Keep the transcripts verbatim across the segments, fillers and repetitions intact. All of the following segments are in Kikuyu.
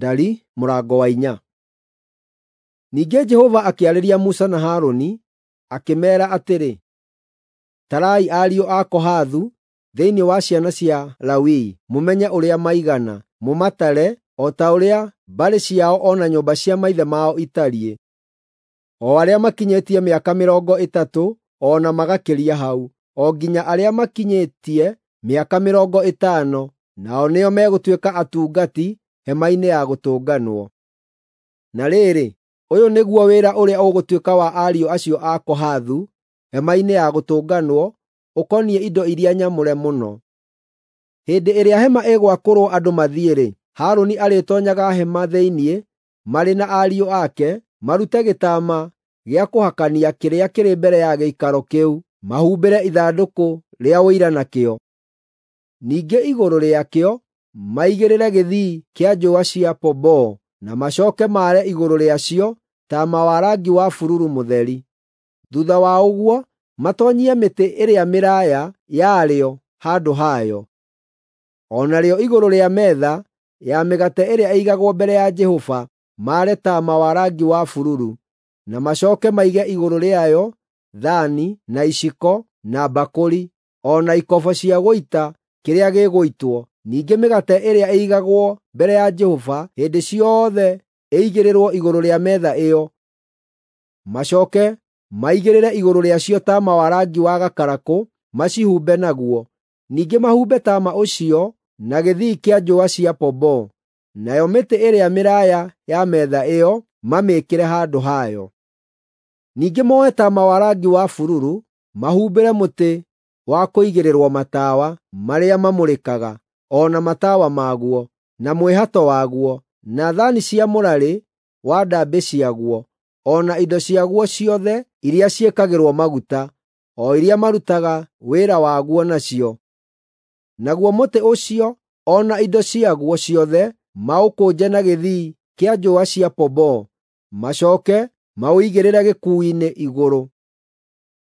Ndari mũrango wa inya. Ningĩ Jehova akĩarĩria Musa na Harũni, akĩmeera atĩrĩ, Tarai ariũ a Kohathu thĩinĩ wa ciana cia Lawi, mũmenye ũrĩa maigana, mũmatare o ta ũrĩa mbarĩ ciao o na nyũmba cia maithe mao itariĩ, o arĩa makinyĩtie mĩaka mĩrongo ĩtatũ o na magakĩria hau, o nginya arĩa makinyĩtie mĩaka mĩrongo ĩtano, nao nĩo megũtuĩka atungati hema-inĩ ya gũtũnganwo. Na rĩrĩ, ũyũ nĩguo wĩra ũrĩa ũgũtuĩka wa ariũ acio a Kohathu hema-inĩ ya gũtũnganwo ũkoniĩ indo iria nyamũre mũno. Hĩndĩ ĩrĩa hema ĩgwakũrwo andũ mathiĩ-rĩ, Harũni arĩtoonyaga hema thĩinĩ marĩ na ariũ ake, marute gĩtama gĩa kũhakania kĩrĩa kĩrĩ mbere ya gĩikaro kĩu, mahumbĩre ithandũkũ rĩa Ũira nakĩo. Ningĩ igũrũ rĩakĩo maigĩrĩre gĩthii kĩa njũa cia pomboo na macooke maare igũrũ rĩacio taama wa rangi wa bururu mũtheri. Thuutha wa ũguo matoonyie mĩtĩ ĩrĩa mĩraaya yarĩo handũ hayo. O narĩo igũrũ rĩa metha ya mĩgate ĩrĩa ĩigagwo mbere ya Jehova maare taama wa rangi wa bururu, na macooke maige igũrũ rĩayo thaani, na iciko, na mbakũri, o na ikobo cia gũita kĩrĩa gĩgũitwo. Ningĩ mĩgate ĩrĩa ĩigagwo mbere ya Jehova hĩndĩ ciothe ĩigĩrĩrwo igũrũ rĩa metha ĩyo. Macooke maigĩrĩre igũrũ rĩacio taama wa rangi wa gakarakũ macihumbe naguo. Ningĩ mahumbe taama ũcio na gĩthii kĩa njũa cia pomboo, nayo mĩtĩ ĩrĩa mĩraaya ya metha ĩyo mamĩĩkĩre handũ hayo. Ningĩ moe taama wa rangi wa bururu mahumbĩre mũtĩ wa kũigĩrĩrwo matawa marĩa mamũrĩkaga, o na matawa maguo, na mwĩhato waguo, na thaani cia mũrarĩ wa ndambĩ ciaguo, o na indo ciaguo ciothe iria ciĩkagĩrwo maguta, o iria marutaga wĩra waguo nacio. Naguo mũtĩ ũcio o na indo ciaguo ciothe maũkũnje na gĩthii kĩa njũa cia pomboo, macooke maũigĩrĩre gĩkuũ-inĩ igũrũ.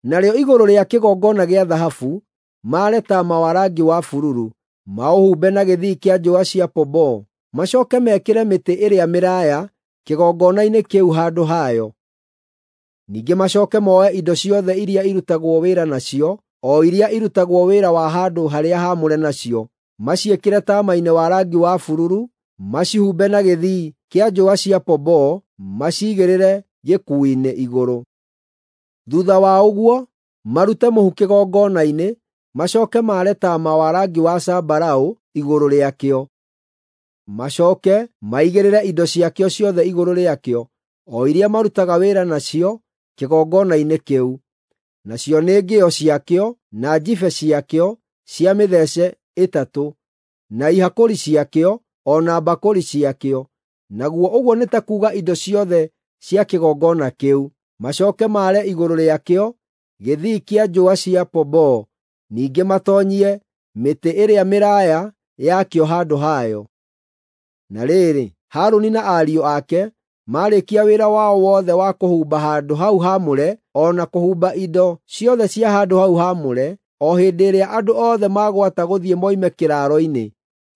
Narĩo igũrũ rĩa kĩgongona gĩa thahabu maare taama wa rangi wa bururu, maũhumbe na gĩthii kĩa njũa cia pomboo, macooke mekĩre mĩtĩ ĩrĩa mĩraaya kĩgongona-inĩ kĩu handũ hayo. Ningĩ macooke moe indo ciothe iria irutagwo wĩra nacio, o iria irutagwo wĩra wa handũ harĩa haamũre nacio, maciĩkĩre taama-inĩ wa rangi wa bururu, macihumbe na gĩthii kĩa njũa cia pomboo, maciigĩrĩre gĩkuũ-inĩ igũrũ. Thuutha wa ũguo marute mũhu kĩgongona-inĩ, macooke maare taama wa rangi wa zambarau igũrũ rĩakĩo. Macooke maigĩrĩre indo ciakĩo ciothe igũrũ rĩakĩo, o iria marutaga wĩra nacio kĩgongona-inĩ kĩu, nacio nĩ ngĩo ciakĩo, na njibe ciakĩo cia mĩthece ĩtatũ, na ihakũri ciakĩo, o na mbakũri ciakĩo. Naguo ũguo nĩ ta kuuga indo ciothe cia kĩgongona kĩu. Macooke maare igũrũ rĩakĩo gĩthii kĩa njũa cia pomboo, ningĩ matoonyie mĩtĩ ĩrĩa mĩraaya yakĩo handũ hayo. Na rĩrĩ, Harũni na ariũ ake maarĩkia wĩra wao wothe wa kũhumba handũ hau haamũre o na kũhumba indo ciothe cia handũ hau haamũre, o hĩndĩ ĩrĩa andũ othe magwata gũthiĩ moime kĩraaro-inĩ,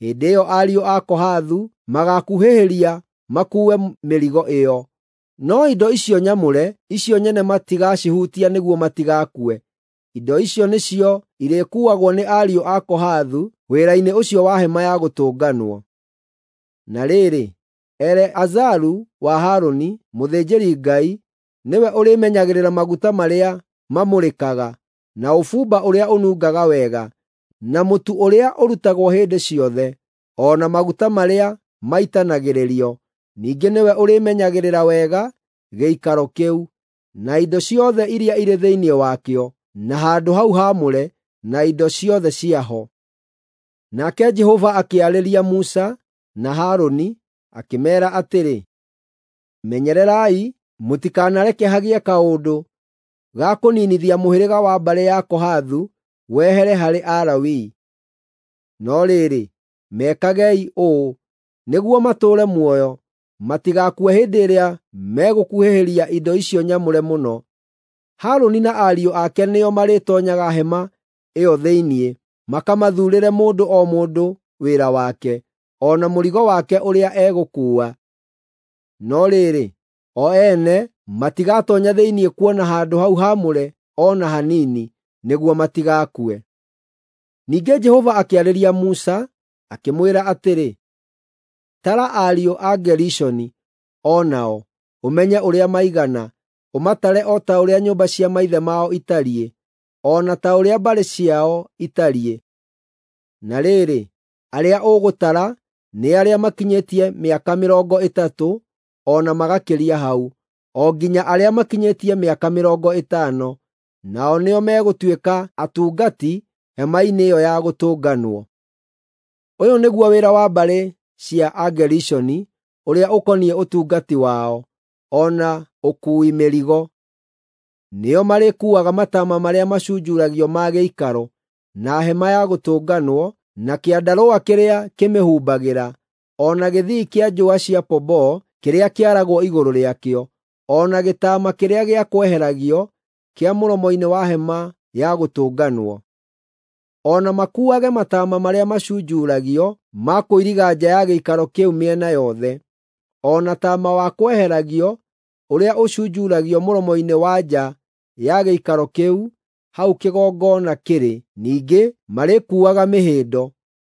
hĩndĩ ĩyo ariũ a Kohathu magaakuhĩhĩria makuue mĩrigo ĩyo. No indo icio nyamũre, icio nyene matigacihutia nĩguo matigakue. Indo icio nĩcio irĩkuuagwo nĩ ariũ a Kohathu wĩra-inĩ ũcio wa hema ya gũtũnganwo. Na rĩrĩ, Eleazaru wa Harũni, mũthĩnjĩri-Ngai, nĩwe ũrĩmenyagĩrĩra maguta marĩa mamũrĩkaga, na ũbumba ũrĩa ũnungaga wega, na mũtu ũrĩa ũrutagwo hĩndĩ ciothe, o na maguta marĩa maitanagĩrĩrio. Ningĩ nĩwe ũrĩmenyagĩrĩra wega gĩikaro kĩu, na indo ciothe iria irĩ thĩinĩ wakĩo, na handũ hau haamũre, na indo ciothe ciaho. Nake Jehova akĩarĩria Musa na Harũni, akĩmeera atĩrĩ, Menyererai mũtikanareke hagĩe kaũndũ ga kũninithia mũhĩrĩga wa mbarĩ ya Kohathu wehere harĩ Alawii. No rĩrĩ, mekagei ũũ nĩguo matũũre muoyo, matigakue hĩndĩ ĩrĩa megũkuhĩhĩria indo icio nyamũre mũno. Harũni na ariũ ake nĩo marĩtoonyaga hema ĩyo thĩinĩ, makamathuurĩre mũndũ o mũndũ wĩra wake, o na mũrigo wake ũrĩa egũkuua. No rĩrĩ, o ene matigatoonya thĩinĩ kuona handũ hau haamũre o na hanini, nĩguo matigakue. Ningĩ Jehova akĩarĩria Musa, akĩmwĩra atĩrĩ, Tara ariũ a Gerishoni o nao, ũmenye ũrĩa maigana, ũmatare o ta ũrĩa nyũmba cia maithe mao itariĩ, o na ta ũrĩa mbarĩ ciao itariĩ. Na rĩrĩ, arĩa ũgũtara nĩ arĩa makinyĩtie mĩaka mĩrongo ĩtatũ o na magakĩria hau, o nginya arĩa makinyĩtie mĩaka mĩrongo ĩtano, nao nĩo megũtuĩka atungati hema-inĩ ĩyo ya gũtũnganwo. Ũyũ nĩguo wĩra wa mbarĩ cia Agerishoni ũrĩa ũkoniĩ ũtungati wao, o na ũkuui mĩrigo. Nĩo marĩkuuaga mataama marĩa macunjuragio ma gĩikaro, na hema ya gũtũnganwo, na kĩandarũa kĩrĩa kĩmĩhumbagĩra, o na gĩthii kĩa njũa cia pomboo kĩrĩa kĩaragwo igũrũ rĩakĩo, o na gĩtaama kĩrĩa gĩa kweheragio kĩa mũromo-inĩ wa hema ya gũtũnganwo. O na makuuage mataama marĩa macunjuragio ma kũiriga nja ya gĩikaro kĩu mĩena yothe, o na taama wa kweheragio ũrĩa ũcunjuragio mũromo-inĩ wa nja ya gĩikaro kĩu hau kĩgongona kĩrĩ. Ningĩ marĩkuuaga mĩhĩndo,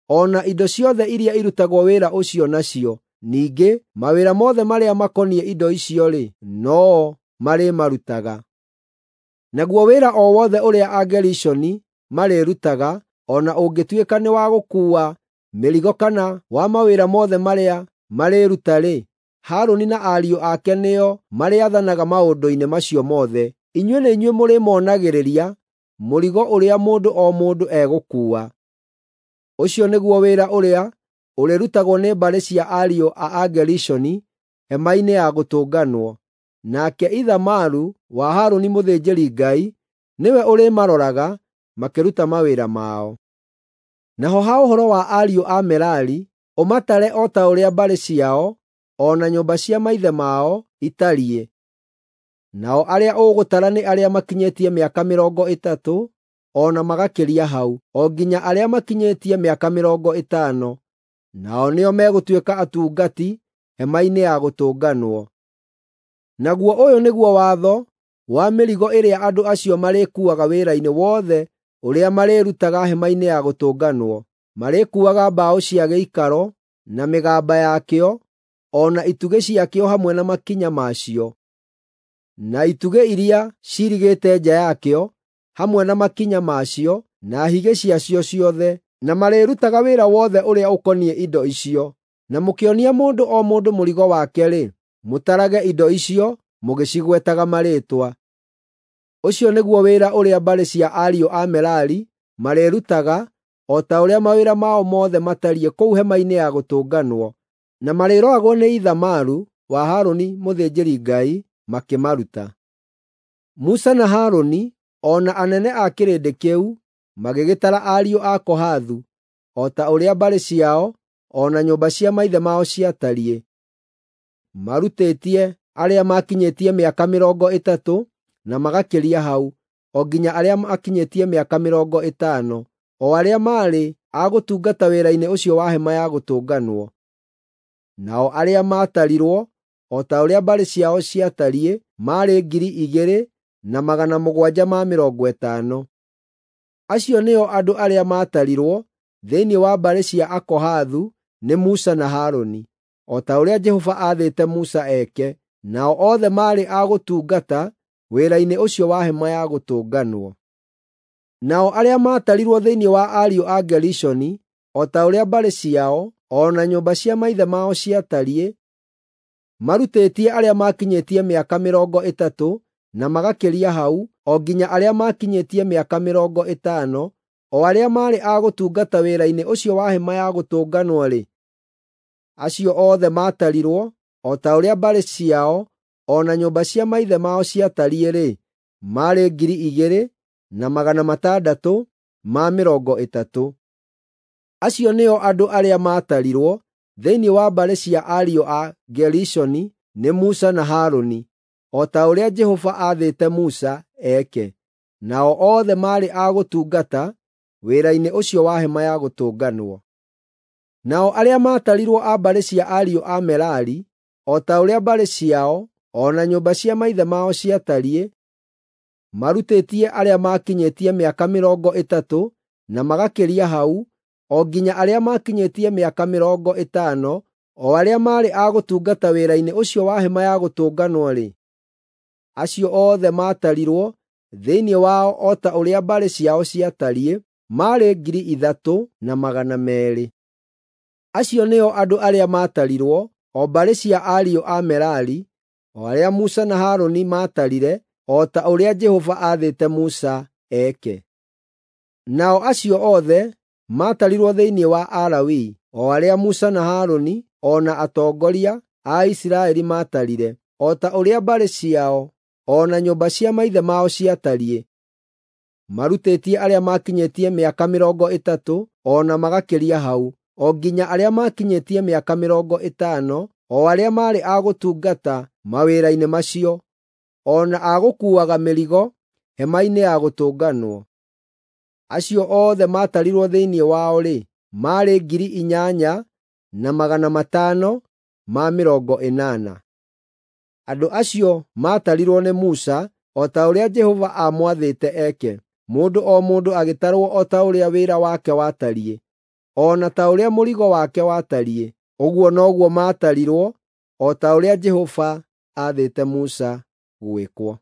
o na indo ciothe iria irutagwo wĩra ũcio nacio. Ningĩ mawĩra mothe marĩa makoniĩ indo icio-rĩ, no-o marĩmarutaga. Naguo wĩra o wothe ũrĩa Agerishoni marĩrutaga, o na ũngĩtuĩka nĩ wa gũkuua mĩrigo kana wa mawĩra mothe marĩa marĩruta-rĩ, Harũni na ariũ ake nĩo marĩathanaga maũndũ-inĩ macio mothe. Inyuĩ nĩ inyuĩ mũrĩmonagĩrĩria mũrigo ũrĩa mũndũ o mũndũ egũkuua. Ũcio nĩguo wĩra ũrĩa ũrĩrutagwo nĩ mbarĩ cia ariũ a Agerishoni hema-inĩ ya gũtũnganwo. Nake Ithamaru wa Harũni mũthĩnjĩri-Ngai nĩwe ũrĩmaroraga makĩruta mawĩra mao. Naho ha ũhoro wa ariũ a Merari, ũmatare o ta ũrĩa mbarĩ ciao o na nyũmba cia maithe mao itariĩ. Nao arĩa ũgũtara nĩ arĩa makinyĩtie mĩaka mĩrongo ĩtatũ o na magakĩria hau, o nginya arĩa makinyĩtie mĩaka mĩrongo ĩtano, nao nĩo megũtuĩka atungati hema-inĩ ya gũtũnganwo. Naguo ũyũ nĩguo watho wa mĩrigo ĩrĩa andũ acio marĩkuuaga wĩra-inĩ wothe ũrĩa marĩrutaga hema-inĩ ya gũtũnganwo. Marĩkuuaga mbaũ cia gĩikaro na mĩgamba yakĩo, o na itugĩ ciakĩo hamwe na makinya macio, na itugĩ iria ciirigĩte nja yakĩo hamwe na makinya macio, na higĩ ciacio ciothe, na marĩrutaga wĩra wothe ũrĩa ũkoniĩ indo icio. Na mũkĩonia mũndũ o mũndũ mũrigo wake-rĩ, mũtarage indo icio mũgĩcigwetaga marĩĩtwa. Ũcio nĩguo wĩra ũrĩa mbarĩ cia ariũ a Merari marĩrutaga, o ta ũrĩa mawĩra mao mothe matariĩ kũu hema-inĩ ya gũtũnganwo, na marĩroragwo nĩ Ithamaru wa Harũni mũthĩnjĩri-Ngai makĩmaruta. Musa na Harũni o na anene a kĩrĩndĩ kĩu magĩgĩtara ariũ a Kohathu o ta ũrĩa mbarĩ ciao o na nyũmba cia maithe mao ciatariĩ, marutĩtie arĩa maakinyĩtie mĩaka mĩrongo ĩtatũ na magakĩria hau, o nginya arĩa maakinyĩtie mĩaka mĩrongo ĩtano, o arĩa maarĩ a gũtungata wĩra-inĩ ũcio wa hema ya gũtũnganwo. Nao arĩa maatarirwo o ta ũrĩa mbarĩ ciao ciatariĩ maarĩ ngiri igĩrĩ na magana mũgwanja ma mĩrongo ĩtano. Acio nĩo andũ arĩa maatarirwo thĩinĩ wa mbarĩ cia Akohathu nĩ Musa na Harũni, o ta ũrĩa Jehova aathĩte Musa eke. Nao othe maarĩ a gũtungata wĩra-inĩ ũcio wa hema ya gũtũnganwo. Nao arĩa maatarirwo thĩinĩ wa ariũ a Gerishoni, o ta ũrĩa mbarĩ ciao o na nyũmba cia maithe mao ciatariĩ, marutĩtie arĩa maakinyĩtie mĩaka mĩrongo ĩtatũ na magakĩria hau, o nginya arĩa maakinyĩtie mĩaka mĩrongo ĩtano, o arĩa maarĩ a gũtungata wĩra-inĩ ũcio wa hema ya gũtũnganwo-rĩ, acio othe maatarirwo o ta ũrĩa mbarĩ ciao o na nyũmba cia maithe mao ciatariĩ-rĩ, maarĩ ngiri igĩrĩ na magana matandatũ ma mĩrongo ĩtatũ. Acio nĩo andũ arĩa maatarirwo thĩinĩ wa mbarĩ cia ariũ a Gerishoni nĩ Musa na Harũni, o ta ũrĩa Jehova aathĩte Musa eke. Nao othe maarĩ a gũtungata wĩra-inĩ ũcio wa hema ya gũtũnganwo. Nao arĩa maatarirwo a mbarĩ cia ariũ a Merari, o ta ũrĩa mbarĩ ciao o na nyũmba cia maithe mao ciatariĩ, marutĩtie arĩa maakinyĩtie mĩaka mĩrongo ĩtatũ na magakĩria hau, o nginya arĩa maakinyĩtie mĩaka mĩrongo ĩtano, o arĩa maarĩ a gũtungata wĩra-inĩ ũcio wa Hema-ya Gũtũnganwo-rĩ, acio othe maatarirwo thĩinĩ wao o ta ũrĩa mbarĩ ciao ciatariĩ, maarĩ ngiri ithatũ na magana meerĩ. Acio nĩo andũ arĩa maatarirwo, o mbarĩ cia ariũ a Merari, o arĩa Musa na Harũni maatarire o ta ũrĩa Jehova aathĩte Musa eke. Nao acio othe maatarirwo thĩinĩ wa Alawii, o arĩa Musa na Harũni o na atongoria a Isiraeli maatarire, o ta ũrĩa mbarĩ ciao o na nyũmba cia maithe mao ciatariĩ, marutĩtie arĩa maakinyĩtie mĩaka mĩrongo ĩtatũ o na magakĩria hau, o nginya arĩa maakinyĩtie mĩaka mĩrongo ĩtano, o arĩa maarĩ a gũtungata mawĩra-inĩ macio, o na a gũkuuaga mĩrigo Hema-inĩ ya Gũtũnganwo. Acio othe maatarirwo thĩinĩ wao-rĩ, maarĩ ngiri inyanya na magana matano ma mĩrongo ĩnana. Andũ acio maatarirwo nĩ Musa o ta ũrĩa Jehova aamwathĩte eke, mũndũ o mũndũ agĩtarwo o ta ũrĩa wĩra wake watariĩ, o na ta ũrĩa mũrigo wake watariĩ, ũguo noguo maatarirwo, o ta ũrĩa Jehova aathĩte Musa gwĩkwo.